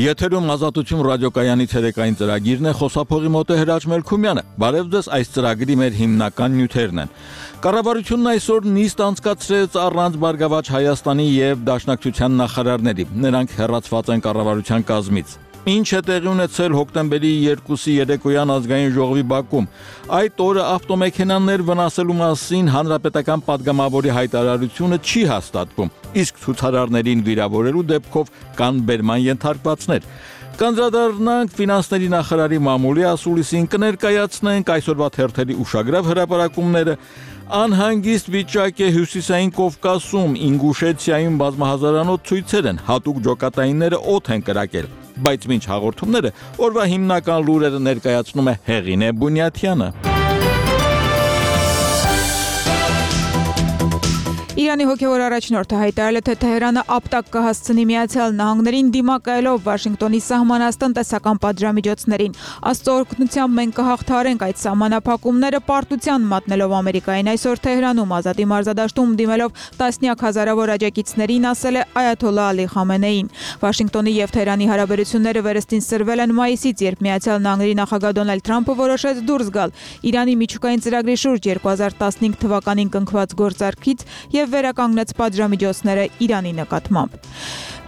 Եթերում ազատություն ռադիոկայանի ցերեկային ծրագիրն է, խոսափողի մոտ է Հրաչ Մելքումյանը։ Բարև ձեզ, այս ծրագրի մեր հիմնական նյութերն են։ Կառավարությունն այսօր նիստ անցկացրեց առանց Բարգավաճ Հայաստանի եւ Դաշնակցության նախարարների։ Նրանք հեռացված են կառավարության կազմից։ Ինչ է տեղի ունեցել հոկտեմբերի 2-ի երեկոյան ազգային ժողովի բակում։ Այդ օրը ավտոմեքենաներ վնասելու մասին հանրապետական падգամավորի հայտարարությունը չի հաստատվում, իսկ ցուցարարներին վիրավորելու դեպքով կան բերման ենթարկվածներ։ Կանդրադառնանք ֆինանսների նախարարի մամուլի ասուլիսին, կներկայացնենք այսօրվա թերթերի ուշագրավ հրապարակումները, անհանգիստ վիճակ է Հյուսիսային Կովկասում, Ինգուշեցիայում բազմահազարանոց ցույցեր են, հատուկ ջոկատայինները օդ են կրակել, բայց մինչ հաղորդումները օրվա հիմնական լուրերը ներկայացնում է Հեղինե Բունյաթյանը։ Իրանի հոգևոր առաջնորդը հայտարարել է, թե Թեհրանը ապտակ կհասցնի Միացյալ Նահանգներին դիմակայելով Վաշինգտոնի սահմանած տնտեսական պատժամիջոցներին։ Աստծո օրհնությամբ մենք կհաղթահարենք այդ սահմանափակումները, պարտության մատնելով Ամերիկային։ Այսօր Թեհրանում ազատի մարզադաշտում դիմելով տասնյակ հազարավոր աջակիցներին ասել է Այաթոլլա Ալի Խամենեին։ Վաշինգտոնի եւ Թեհրանի հարաբերությունները վերստին սրվել են մայիսից, երբ Միացյալ Նահանգների նախագահ Դոնալդ Թրամփը որոշեց դուրս գալ Իրանի միջուկային ծրագրի շուրջ 2015 թվականին կնքված գործարքից եւ վերականգնեց պատժամիջոցները Իրանի նկատմամբ։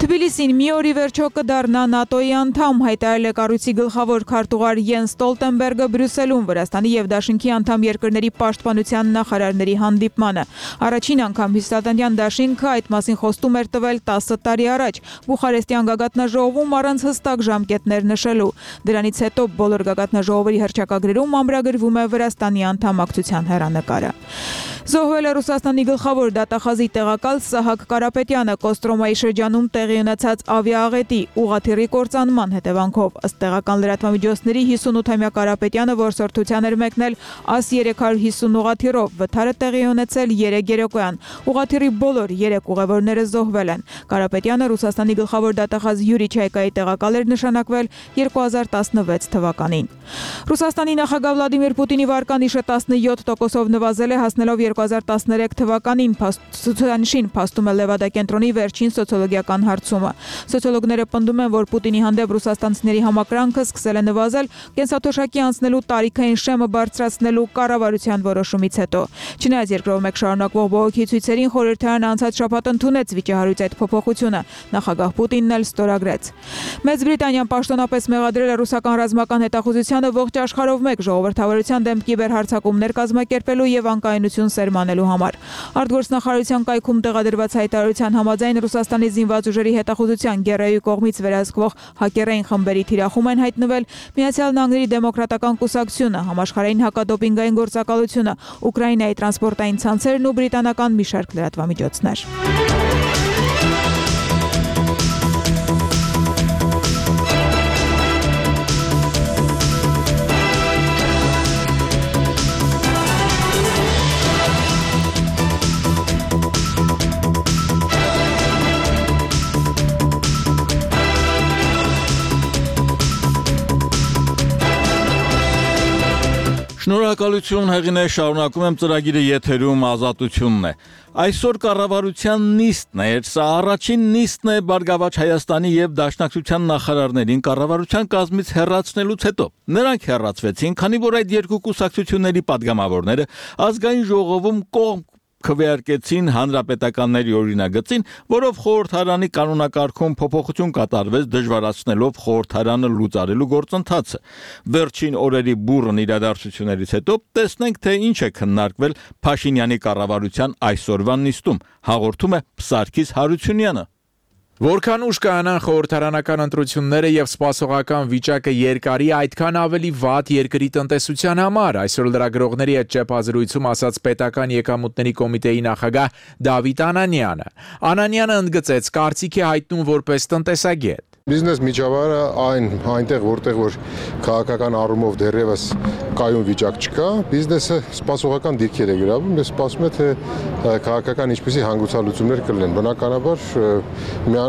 Թբիլիսին մի օրի վերջո կդառնա ՆԱՏՕ-ի անդամ, հայտարարել է կառույցի գլխավոր քարտուղար Յենս Ստոլտենբերգը Բրյուսելում Վրաստանի եւ Դաշնքի անդամ երկրների պաշտպանության նախարարների հանդիպմանը։ Առաջին անգամ հյուսիսատլանտյան Դաշինքը այդ մասին խոստում էր տվել 10 տարի առաջ Բուխարեստյան գագաթնաժողովում առանց հստակ ժամկետներ նշելու։ Դրանից հետո բոլոր գագաթնաժողովերի հռչակագրերում ամրագրվում է Վրաստանի անդամակցության հեռանկարը։ Զոհվել է Ռուսաստանի գլխավոր դատախազի տեղակալ Սահակ Կարապետյանը Կոստրոմայի շրջանում տեղի ունեցած ավիաաղետի ուղղաթիռի կործանման հետևանքով։ Ըստ տեղական լրատվամիջոցների 58-ամյա Կարապետյանը որսորդության էր մեկնել AS-350 ուղղաթիռով, վթարը տեղի ունեցել 3 երեկոյան։ Ուղղաթիռի բոլոր 3 ուղևորները զոհվել են։ Կարապետյանը Ռուսաստանի գլխավոր դատախազ Յուրի Չայկայի տեղակալ էր նշանակվել 2016 թվականին։ Ռուսաստանի նախագահ Վլադիմիր Պուտինի վարկանիշը 17%-ով նվազել է, հասնելով 2013 թվականին, ցուցանիշին փաստում է Լևադա կենտրոնի վերջին սոցիոլոգիական հարցումը։ Սոցիոլոգները պնդում են, որ Պուտինի հանդեպ ռուսաստանցիների համակրանքը սկսել է նվազել կենսաթոշակի անցնելու տարիքային շեմը բարձրացնելու կառավարության որոշումից հետո։ Չնայած երկրով մեկ շարունակվող բողոքի ցույցերին, խորհրդարանը անցած շաբաթ ընդունեց վիճահարույց այդ փոփոխությունը, նախագահ Պուտինն էլ ստորագրեց։ Մեծ Բրիտանիան պաշտոնապես մեղադրել է ռուսական ռազմական հետախուզությանը ողջ աշխարհով մեկ ժողովրդավարության դեմ կիբերհարձակումներ կազմակերպելու եւ անկայունություն սերմանելու համար։ Արտգործնախարարության կայքում տեղադրված հայտարարության համաձայն Ռուսաստանի զինված ուժերի հետախուզության Գերայի կողմից վերահսկվող հակերային խմբերի թիրախում են հայտնվել Միացյալ Նահանգների դեմոկրատական կուսակցությունը, համաշխարհային հակադոպինգային գործակալությունը, Ուկրաինայի տրանսպորտային ցանցերն ու բրիտանական մի շարք լրատվամիջոցներ։ Շնորհակալություն Հեղինե, շարունակում եմ ծրագիրը եթերում ազատությունն է։ Այսօր կառավարության նիստն է, սա առաջին նիստն է Բարգավաճ Հայաստանի եւ Դաշնակցության նախարարներին կառավարության կազմից հեռացնելուց հետո։ Նրանք հեռացվեցին, քանի որ այդ երկու կուսակցությունների падգամավորները ազգային ժողովում կողմ քվեարկեցին հանրապետականների օրինագծին, որով խորհրդարանի կանոնակարգում փոփոխություն կատարվեց, դժվարացնելով խորհրդարանը լուծարելու գործընթացը։ Վերջին օրերի բուռն իրադարձություններից հետո տեսնենք, թե ինչ է քննարկվել Փաշինյանի կառավարության այսօրվա նիստում, հաղորդում է Սարգիս Հարությունյանը։ Որքան ուշ կայանան խորհրդարանական ընտրությունները եւ սպասողական վիճակը երկարի, այդքան ավելի վատ երկրի տնտեսության համար, այսօր լրագրողների հետ ճեպազրույցում ասաց պետական եկամուտների կոմիտեի նախագահ Դավիթ Անանյանը։ Անանյանը ընդգծեց, կարծիք է հայտնում որպես տնտեսագետ։ Բիզնես միջավայրը այնտեղ որտեղ որ քաղաքական առումով դեռևս կայուն վիճակ չկա, բիզնեսը սպասողական դիրքեր է գրավում, եւ սպասում է թե քաղաքական ինչպիսի հանգուցալուծումներ կլինեն։ Բնականաբար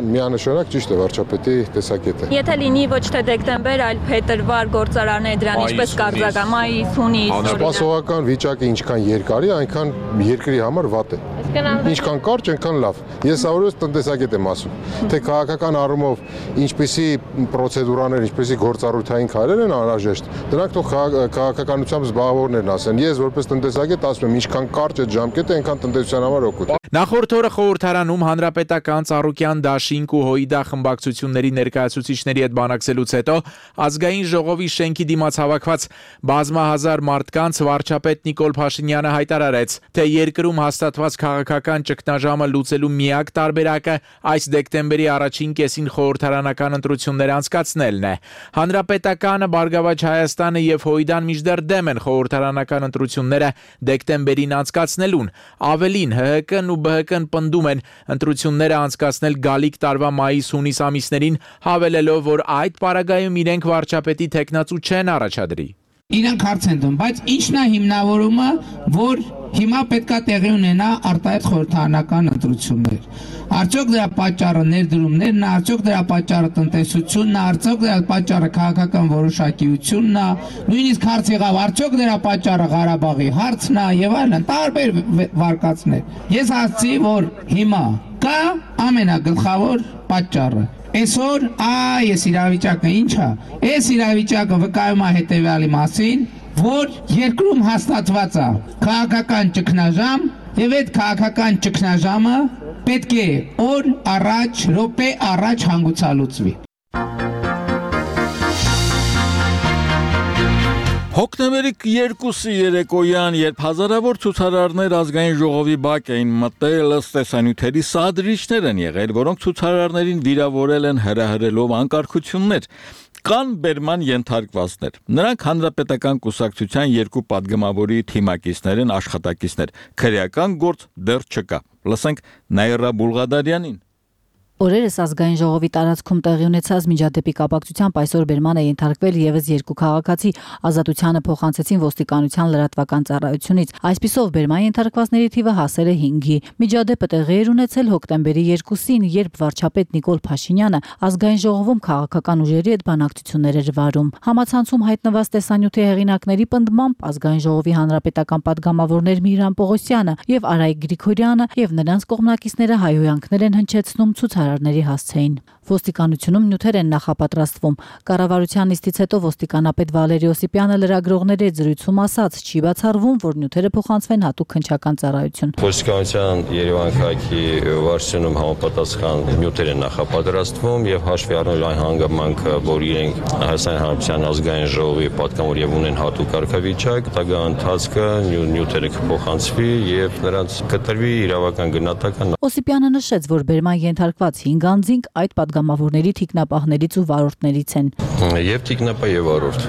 միանշանակ ճիշտ է վարչապետի տեսակետը։ Եթե լինի ոչ թե դեկտեմբեր, այլ փետրվար գործարաններ դրան ինչպես կարձակա, մայիս, հունիս։ Սպասողական վիճակը ինչքան երկարի, այնքան երկրի համար վատ է։ Ինչքան կարճ, այնքան լավ։ Ես ավելորդ տնտեսագետ եմ ասում, թե քաղաքական առումով ինչպիսի պրոցեդուրաներ, ինչպիսի գործառույթային քայլեր են անհրաժեշտ, դրանք թող քաղաքականությամբ զբաղվողներն ասեն։ Ես որպես տնտեսագետ ասում եմ, ինչքան կարճ է ժամկետը, այնքան տնտեսության համար օգուտ է։ Նախորդ օրը խորհրդարանում հանրապետական Ծառուկյան դաշինք ու Հոիդա խմբակցությունների ներկայացուցիչների հետ բանակցելուց հետո ազգային ժողովի շենքի դիմաց հավաքված բազմահազար մարդկանց վարչապետ Նիկոլ Փաշինյանը հայտարարեց, թե երկրում հաստատված քաղաքական ճգնաժամը լուծելու միակ տարբերակը այս դեկտեմբերի առաջին կեսին խորհրդարանական ընտրություններ անցկացնելն է։ Հանրապետականը, Բարգավաճ Հայաստանը եւ Հոիդան մինչդեռ դեմ են խորհրդարանական ընտրությունները դեկտեմբերին անցկացնելուն։ Ավելին, ՀՀԿ-ն ու ԲՀԿ-ն պնդում են ընտրությունները անցկացնել գալիք տարվա մայիս-հունիս ամիսներին, հավելելով, որ այդ պարագայում իրենք վարչապետի թեկնածու չեն առաջադրի։ Իրանք հարց են տում, բայց ի՞նչն է հիմնավորումը, որ հիմա պետքա տեղի ունենա արտահայտ խորհրդարանական ընտրություններ։ Արդյոք դրա պատճառը ներդրումներն է, արդյոք դրա պատճառը տնտեսությունն է, արդյոք դրա պատճառը քաղաքական որոշակիությունն է, նույնիսկ հարց եղավ, արդյոք դրա պատճառը Ղարաբաղի հարցն է եւ այլն, տարբեր վարկածներ։ Ես ասացի, որ հիմա կա ամենագլխավոր պատճառը։ Այսօր այս իրավիճակը ինչ է։ Այս իրավիճակը վկայում է հետևյալի մասին, որ երկրում հաստատված է քաղաքական ճգնաժամ եւ այդ քաղաքական ճգնաժամը պետք է օր առաջ, րոպե առաջ հանգուցալուծվի։ Հոկտեմբերի 2-ի երեկոյան, երբ հազարավոր ցուցարարներ ազգային ժողովի բակ էին մտել, ըստ տեսանյութերի սադրիչներ են եղել, որոնք ցուցարարներին վիրավորել են հրահրելով անկարգություններ։ Կան բերման ենթարկվածներ։ Նրանք հանրապետական կուսակցության երկու падգամավորի թիմակիցներ են, աշխատակիցներ։ Քրեական գործ դեռ չկա։ Լսենք Նաիրա Բուլղադարյանին։ Օրերս ազգային ժողովի տարածքում տեղի ունեցած միջադեպի կապակցությամբ այսօր բերման է ենթարկվել եւս երկու քաղաքացի, ազատությանը փոխանցեցին ոստիկանության լրատվական ծառայությունից։ Այսպիսով բերման ենթարկվածների թիվը հասել է 5-ի։ Միջադեպը տեղի էր ունեցել հոկտեմբերի 2-ին, երբ վարչապետ Նիկոլ Փաշինյանը ազգային ժողովում քաղաքական ուժերի հետ բանակցություններ էր վարում։ Համացանցում հայտնված տեսանյութի հեղինակների պնդմամբ ազգային ժողովի հանրապետական падգամավորներ Միրան Պողոսյանը եւ Արայիկ Գրիգորյանը եւ նրանց կողմնակիցները հայհոյանքներ են հնչեցնում ցուցարարների հասցեին։ Ոստիկանությունում նյութեր են նախապատրաստվում։ Կառավարության նիստից հետո ոստիկանապետ Վալերի Օսիպյանը լրագրողների հետ զրույցում ասաց, չի բացառվում, որ նյութերը փոխանցվեն հատուկ քննչական ծառայություն։ Ոստիկանության Երևան քաղաքի վարչությունում համապատասխան նյութեր են նախապատրաստվում եւ հաշվի առնելով այն հանգամանքը, որ իրենք Հայաստանի Հանրապետության ազգային ժողովի պատգամավոր եւ ունեն հատուկ կարգավիճակ, տագա ընթացքը նյութերը կփոխանցվի եւ նրանց կտրվի իրավական գնահատական։ Օսիպյանը նշեց, որ բերման ենթարկված 5 անձինք այդ падգամավորների թիկնապահներից ու վարորդներից են։ Եվ թիկնապահ եւ վարորդ։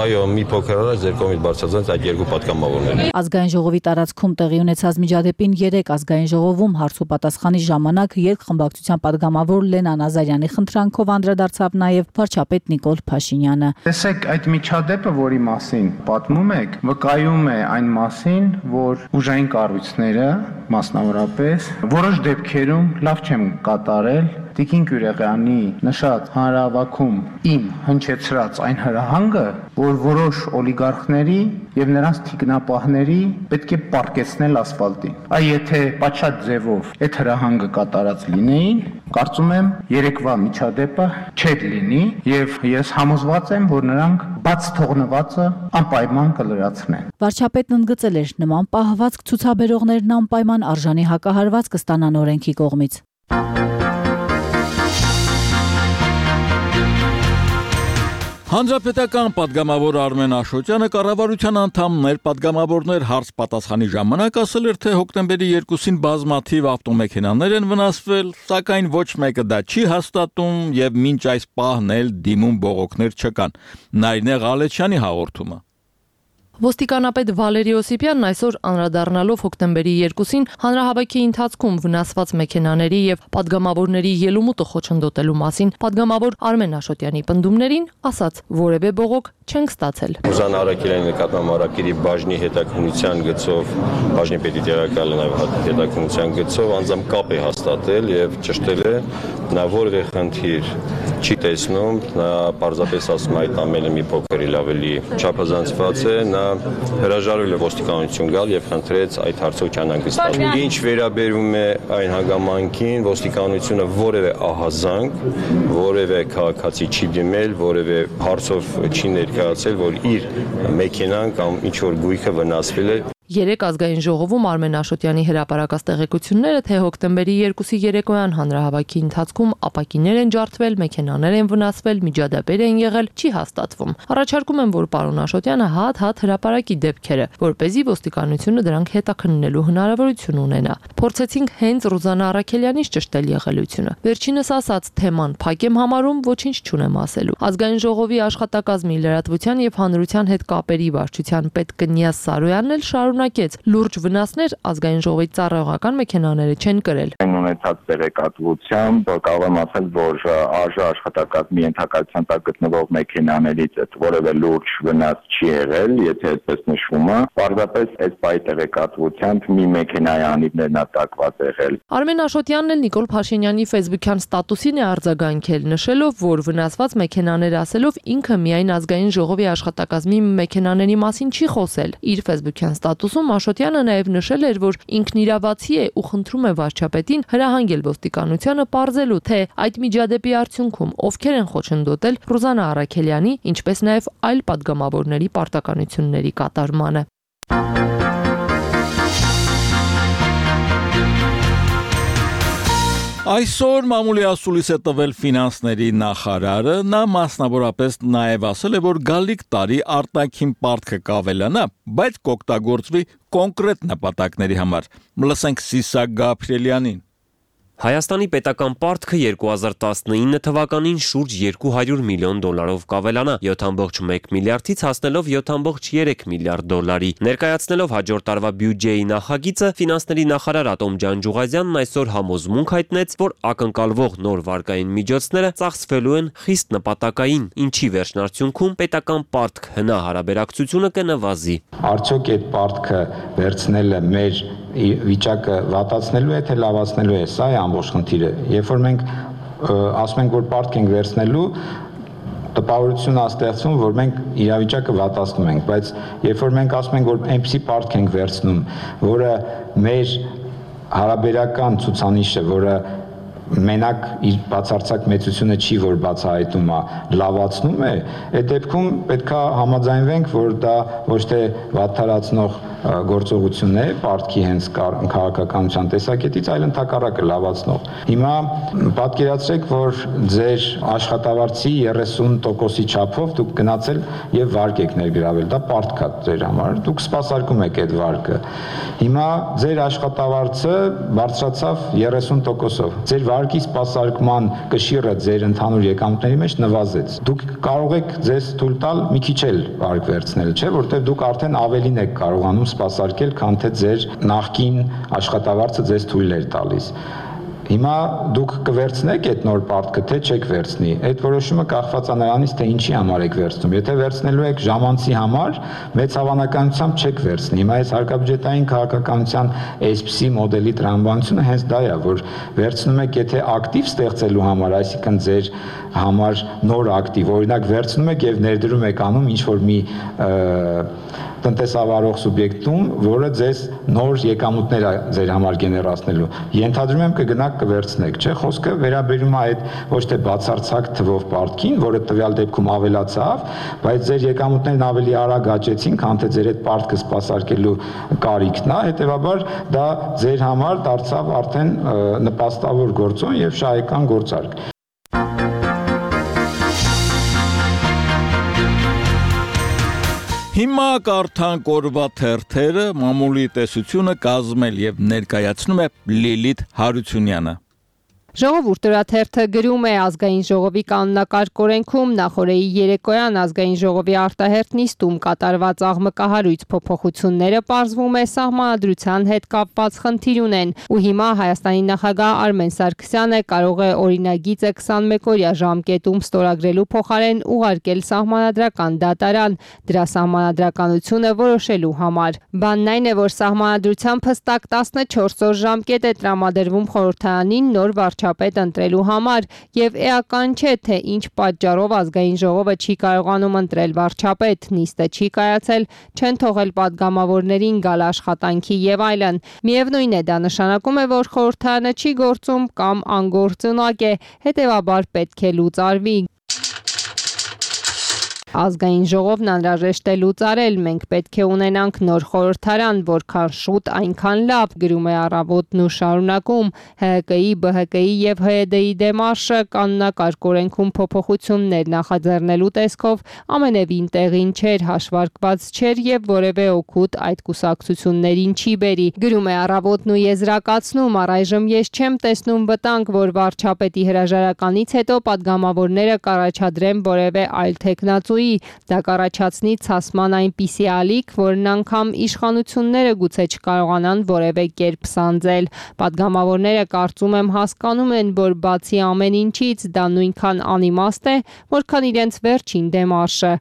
Այո, մի փոքր առաջ ձեր կողմից բարձրացած այդ երկու падգամավորներ։ Ազգային ժողովի տարածքում տեղի ունեցած միջադեպին 3 ազգային ժողովում հարց ու պատասխանի ժամանակ երկխմբակցության падգամավոր Լենան Ազարյանի խնդրանքով անդրադարձավ նաև վարչապետ Նիկոլ Փաշինյանը։ Տեսեք, այդ միջադեպը, որի մասին պատմում եք, վկայում է այն մասին, որ ուժային կառույցները, մասնավորապես, որոշ դեպքերում լավ չեմ կատարել Տիկին Գյուրեղյանի նշած հանրահավաքում իմ հնչեցրած այն հրահանգը, որ որոշ օլիգարխների եւ նրանց թիկնապահների պետք է պառկեցնել ասֆալտին։ Այ եթե պատշաճ ձևով այդ հրահանգը կատարած լինեին, կարծում եմ երեկվա միջադեպը չէր լինի եւ ես համոզված եմ, որ նրանք բաց թողնվածը անպայման կլրացնեն։ Վարչապետն ընդգծել էր, նման պահվածք ցուցաբերողներն անպայման արժանի հակահարված կստանան օրենքի կողմից։ Հանրապետական падգամավոր Արմեն Աշոտյանը կառավարության անդամներ падգամավորներ հարց պատասխանի ժամանակ ասել էր, թե հոկտեմբերի 2-ին բազմաթիվ ավտոմեքենաներ են վնասվել, սակայն ոչ մեկը դա չի հաստատում եւ մինչ այս պահն էլ դիմում բողոքներ չկան։ Նայնե Ղալեչյանի հաղորդումը։ Ոստիկանապետ Վալերի Օսիպյանն այսօր անդրադառնալով հոկտեմբերի 2-ին հանրահավաքի ընթացքում վնասված մեքենաների եւ падգամավորների ելումուտը խոչընդոտելու մասին падգամավոր Արմեն Աշոտյանի պնդումներին ասաց, որևէ բողոք չենք ստացել։ Ռուզան Արաքելյանի նկատմամբ Արաքելի բաժնի հետաքննության գծով, բաժնի պետի տեղակալը նաև հետաքննության գծով անձամբ կապ է հաստատել եւ ճշտել է, նա որևէ խնդիր չի տեսնում, նա պարզապես ասում է այդ ամենը մի փոքր ավելի չափազանցված է, նա հրաժարվել է ոստիկանություն գալ եւ խնդրեց այդ հարցով չանհանգստացնել։ Ինչ վերաբերում է այն հանգամանքին, ոստիկանությունը որևէ ահազանգ, որևէ քաղաքացի չի դիմել, որևէ հարցով չի ներկայացել, որ իր մեքենան կամ ինչ որ գույքը վնասվել է։ Երեք ազգային ժողովում Արմեն Աշոտյանի հրապարակած տեղեկությունները, թե հոկտեմբերի 2-ի երեկոյան հանրահավաքի ընթացքում ապակիներ են ջարդվել, մեքենաներ են վնասվել, միջադեպեր են եղել, չի հաստատվում։ Առաջարկում եմ, որ պարոն Աշոտյանը հատ հրապարակի դեպքերը, որպեսզի ոստիկանությունը դրանք հետաքննելու հնարավորություն ունենա։ Փորձեցինք հենց Ռուզանա Արաքելյանից ճշտել եղելությունը։ Վերջինս ասաց, թեման փակ եմ համարում, ոչինչ չունեմ ասելու։ Ազգային ժողովի աշխատակազմի լրատվության եւ հանրության հետ կապերի վարչության պետ Կնյազ Սարոյանն էլ շարունակեց. լուրջ վնասներ ազգային ժողովի ծառայողական մեքենաները չեն կրել։ Ունեցած տեղեկատվությամբ կարող եմ ասել, որ ԱԺ աշխատակազմի ենթակայության տակ գտնվող մեքենաներից որևէ լուրջ վնաս չի եղել, եթե այդպես նշվում է։ Պարզապես այս բայ տեղեկատվությամբ մի մեքենայի անիվներն ատակված եղել։ Արմեն Աշոտյանն էլ Նիկոլ Փաշինյանի Facebook-յան ստատուսին է արձագանքել, նշելով, որ վնասված մեքենաներ ասելով ինքը միայն ազգային ժողովի աշխատակազմի մեքենաների մասին չի խոսել։ Իր Facebook-յան ստատուսում Աշոտյանը նաև նշել էր, որ ինքն իրավացի է ու խնդրում է վարչապետին հրահանգել ոստիկանությանը պարզելու, թե այդ միջադեպի արդյունքում ովքեր են խոչընդոտել Ռուզանա Արաքելյանի, ինչպես նաև այլ պատգամավորների պարտականությունների կատարմանը։ Այսօր մամուլի ասուլիս է տվել ֆինանսների նախարարը, նա մասնավորապես նաև ասել է, որ գալիք տարի արտաքին պարտքը կավելանա, բայց կօգտագործվի կոնկրետ նպատակների համար։ Լսենք Սիսակ Գաբրիելյանին։ Հայաստանի պետական պարտքը 2019 թվականին շուրջ 200 միլիոն դոլարով կավելանա, 7.1 միլիարդից հասնելով 7.3 միլիարդ դոլարի։ Ներկայացնելով հաջորդ տարվա բյուջեի նախագիծը, ֆինանսների նախարար Ատոմ Ջանջուղազյանն այսօր համոզմունք հայտնեց, որ ակնկալվող նոր վարկային միջոցները ծախսվելու են խիստ նպատակային, ինչի վերջնարդյունքում պետական պարտք հնա-հարաբերակցությունը կնվազի։ Արդյոք այդ պարտքը վերցնելը մեր վիճակը վատացնելու է, թե լավացնելու է, սա է ամբողջ խնդիրը։ Երբ որ մենք ասում ենք, որ պարտք ենք վերցնելու, տպավորություն ստեղծվում, որ մենք իրավիճակը վատացնում ենք, բայց երբ որ մենք ասում ենք, որ այնպիսի պարտք ենք վերցնում, որը մեր հարաբերական ցուցանիշը, որը մենակ իր բացարձակ մեծությունը չի, որ բացահայտում է, լավացնում է, այդ դեպքում պետք է համաձայնվենք, որ դա ոչ թե վատթարացնող գործողություն է պարտքի հենց քաղաքականության տեսակետից, այլ ընդհակառակը լավացնող։ Հիմա պատկերացրեք, որ ձեր աշխատավարձի 30%-ի չափով դուք գնացել եւ վարկ եք ներգրավել, դա պարտք է ձեր համար, դուք սպասարկում եք այդ վարկը։ Հիմա ձեր աշխատավարձը բարձրացավ 30%-ով, ձեր վարկի սպասարկման կշիռը ձեր ընդհանուր եկամուտների մեջ նվազեց։ Դուք կարող եք ձեզ թույլ տալ մի քիչ էլ վարկ վերցնել, չէ՞, որտեղ դուք արդեն ավելին եք կարողանում սպասարկել, քան թե ձեր նախկին աշխատավարձը ձեզ թույլ էր տալիս։ Հիմա դուք կվերցնեք այդ նոր պարտքը, թե չեք վերցնի։ Այդ որոշումը կախված է նրանից, թե ինչի համար եք վերցնում։ Եթե վերցնելու եք ժամանցի համար, մեծ հավանականությամբ չեք վերցնի։ Հիմա այս հարկաբյուջետային քաղաքականության այսպիսի մոդելի տրամաբանությունը հենց դա է, որ վերցնում եք, եթե ակտիվ ստեղծելու համար, այսինքն ձեր համար նոր ակտիվ, օրինակ վերցնում եք եւ ներդրում եք անում ինչ որ մի տնտեսավարող սուբյեկտում, որը ձեզ նոր եկամուտներ է ձեր համար գեներացնելու։ Ենթադրում եմ կգնաք կվերցնեք, չէ՞, խոսքը վերաբերում է այդ ոչ թե բացարձակ թվով պարտքին, որը տվյալ դեպքում ավելացավ, բայց ձեր եկամուտներն ավելի արագ աճեցին, քան թե ձեր այդ պարտքը սպասարկելու կարիքն է, հետեւաբար դա ձեր համար դարձավ արդեն նպաստավոր գործոն եւ շահեկան գործարք։ Հիմա կարդանք օրվա թերթերը, մամուլի տեսությունը կազմել եւ ներկայացնում է Լիլիթ Հարությունյանը։ Ժողովուրդը գրում է ազգային ժողովի կանոնակարգ օրենքում նախորդի երեկոյան ազգային ժողովի արտահերթ նիստում կատարված աղմկահարույց փոփոխությունները պարզվում է սահմանադրության հետ կապված խնդիր ունեն ու հիմա Հայաստանի նախագահ Արմեն Սարգսյանը կարող է օրինագիծը 21-օրյա ժամկետում ստորագրելու փոխարեն ուղարկել սահմանադրական դատարան դրա սահմանադրականությունը որոշելու համար։ Բանն այն է, որ սահմանադրությամբ հստակ 14 օր ժամկետ է տրամադրվում խորհրդարանին նոր վարչապետ ընտրելու համար եւ էական չէ թե ինչ պատճառով ազգային ժողովը չի կարողանում ընտրել վարչապետ, նիստը չի կայացել, չեն թողել падգամավորներին գալ աշխատանքի եւ այլն։ Միևնույն է, դա նշանակում է, որ խորհրդարանը չի գործում կամ անգործունակ է, հետեւաբար պետք է լուծարվի։ Ազգային ժողովն անհրաժեշտ է լուծարել, մենք պետք է ունենանք նոր խորհրդարան, որքան շուտ այնքան լավ, գրում է Առավոտն ու շարունակում, ՀՀԿ-ի, ԲՀԿ-ի եւ ՀՅԴ-ի դեմարշը կանոնակարգ օրենքում փոփոխություններ նախաձեռնելու տեսքով ամենևին տեղին չէր, հաշվարկված չէր եւ որևէ օգուտ այդ կուսակցություններին չի բերի։ Գրում է Առավոտն ու եզրակացնում, առայժմ ես չեմ տեսնում վտանգ, որ վարչապետի հրաժարականից հետո падգամավորները կառաջադրեն որևէ այլ թեկնածու դա կառաջացնի ցասման այնպիսի ալիք, որն անգամ իշխանությունները գուցե չկարողանան որևէ կերպ սանձել։ Падգամավորները կարծում եմ հասկանում են, որ բացի ամեն ինչից դա նույնքան անիմաստ է, որքան իրենց վերջին դեմարշը։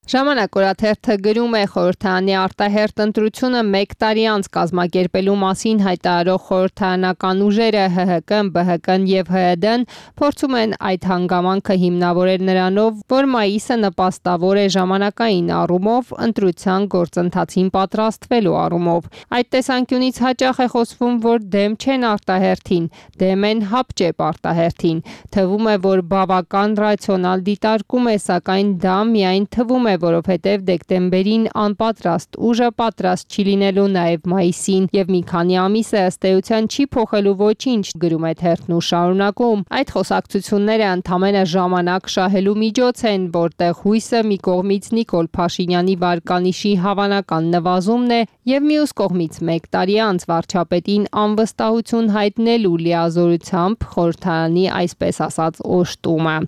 Ժամանակ օրաթերթը գրում է խորհրդարանի արտահերթ ընտրությունը 1 տարի անց կազմակերպելու մասին հայտարարող խորհրդարանական ուժերը ՀՀԿ-ն, ԲՀԿ-ն եւ ՀՅԴ-ն փորձում են այդ հանգամանքը հիմնավորել նրանով, որ մայիսը նպաստավոր է ժամանակային առումով ընտրության գործընթացին պատրաստվելու առումով։ Այդ տեսանկյունից հաճախ է խոսվում, որ դեմ չեն արտահերթին, դեմ են հապճեպ արտահերթին։ Թվում է, որ բավական ռացիոնալ դիտարկում է, սակայն դա միայն թվում է, որովհետև դեկտեմբերին անպատրաստ ուժը պատրաստ չի լինելու նաև մայիսին եւ մի քանի ամիս է ըստ էության չի փոխելու ոչինչ, գրում է թերթն ու շարունակում։ Այդ խոսակցությունները ընդամենը ժամանակ շահելու միջոց են, որտեղ հույսը մի կողմից Նիկոլ Փաշինյանի վարկանիշի հավանական նվազումն է եւ մյուս կողմից 1 տարի անց վարչապետին անվստահություն հայտնելու լիազորությամբ խորհրդարանի այսպես ասած օժտումը։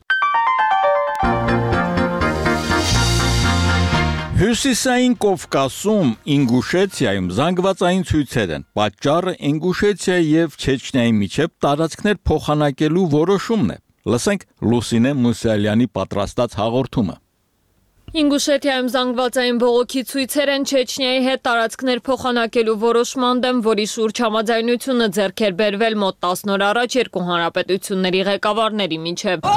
Հյուսիսային Կովկասում Ինգուշեցիայում զանգվածային ցույցեր են։ Պատճառը Ինգուշեցիայի եւ Չեչնիայի միջև տարածքներ փոխանակելու որոշումն է։ Լսենք Լուսինե Մուսալյանի պատրաստած հաղորդումը։ Ինգուշետիայում զանգվածային բողոքի ցույցեր են Չեչնիայի հետ տարածքներ փոխանակելու որոշման դեմ, որի շուրջ համաձայնությունը ձեռք էր բերվել մոտ 10 օր առաջ երկու հանրապետությունների ղեկավարների միջև։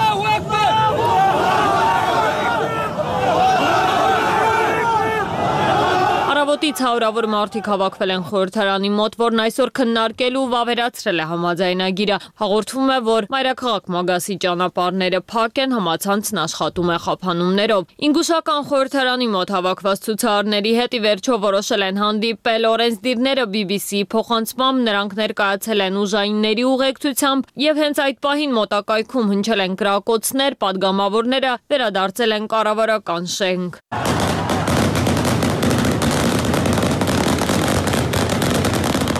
Առավոտից հարյուրավոր մարդիկ հավաքվել են խորհրդարանի մոտ, որն այսօր քննարկելու ու վավերացրել է համաձայնագիրը։ Հաղորդվում է, որ մայրաքաղաք Մագասի ճանապարհները փակ են, համացանցն աշխատում է խափանումներով։ Ինգուշական խորհրդարանի մոտ հավաքված ցուցարարների հետ ի վերջո որոշել են հանդիպել օրենսդիրները BBC-ի փոխանցմամբ նրանք ներկայացել են ուժայինների ուղեկցությամբ եւ հենց այդ պահին մոտակայքում հնչել են կրակոցներ, падգամավորները վերադարձել են կառավարական շենք։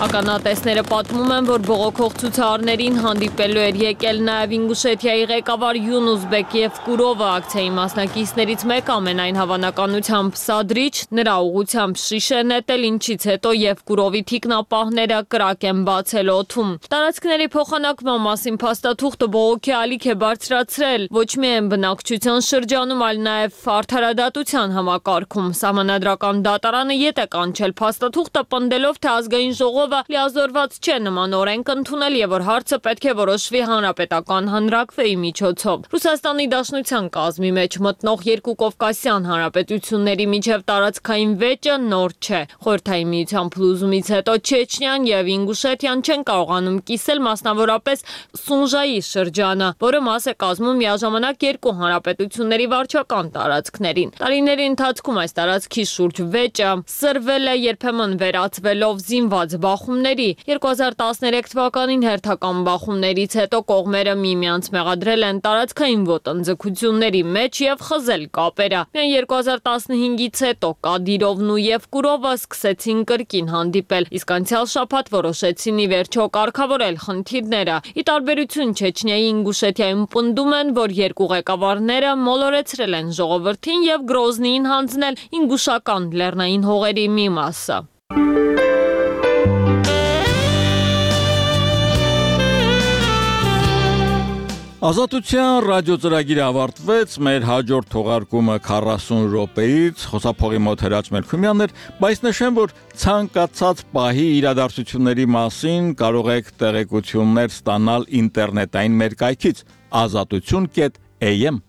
Ականատեսները պատմում են, որ բողոքող ցուցարարներին հանդիպելու էր եկել նաև Ինգուշետիայի ղեկավար Յունուսբեկ Եվկուրովը, ակցիայի մասնակիցներից մեկը ամենայն հավանականությամբ Սադրիչ, նրա ուղղությամբ շիշ է նետել, ինչից հետո Եվկուրովի թիկնապահները կրակ են բացել օդում։ Տարածքների փոխանակման մասին փաստաթուղթը բողոքի ալիք է բարձրացրել ոչ միայն բնակչության շրջանում, այլ նաև արդարադատության համակարգում։ Սահմանադրական դատարանը ետ է կանչել փաստաթուղթը պնդելով, թե ազգային ժողովը լիազորված չէ նման օրենք ընդունել եւ որ հարցը պետք է որոշվի հանրապետական հանրակրվեի միջոցով։ Ռուսաստանի Դաշնության կազմի մեջ մտնող երկու կովկասյան հանրապետությունների միջև տարածքային վեճը նոր չէ։ Խորհրդային միության փլուզումից հետո Չեչնիան եւ Ինգուշետիան չեն կարողանում կիսել մասնավորապես Սունժայի շրջանը, որը մաս է կազմում միաժամանակ երկու հանրապետությունների վարչական տարածքներին։ Տարիների ընթացքում այս տարածքի շուրջ վեճը սրվել է, երբեմն վերածվելով զինված բախում բախումների։ 2013 թվականին հերթական բախումներից հետո կողմերը միմյանց մեղադրել են տարածքային ոտնձգությունների մեջ եւ խզել կապերը։ Միայն 2015-ից հետո Կադիրովն ու Եվկուրովը սկսեցին կրկին հանդիպել, իսկ անցյալ շաբաթ որոշեցին ի վերջո կարգավորել խնդիրները։ Ի տարբերություն Չեչնիայի Ինգուշեթիայում պնդում են, որ երկու ղեկավարները մոլորեցրել են ժողովրդին եւ Գրոզնիին հանձնել ինգուշական լեռնային հողերի մի մասը։ Ազատության ռադիոծրագիրը ավարտվեց, մեր հաջորդ թողարկումը 40 րոպեից խոսափողի մոտ Հրաչ Մելքումյանն էր, բայց նշեմ, որ ցանկացած պահի իրադարձությունների մասին կարող եք տեղեկություններ ստանալ ինտերնետային մեր կայքից azatutun.am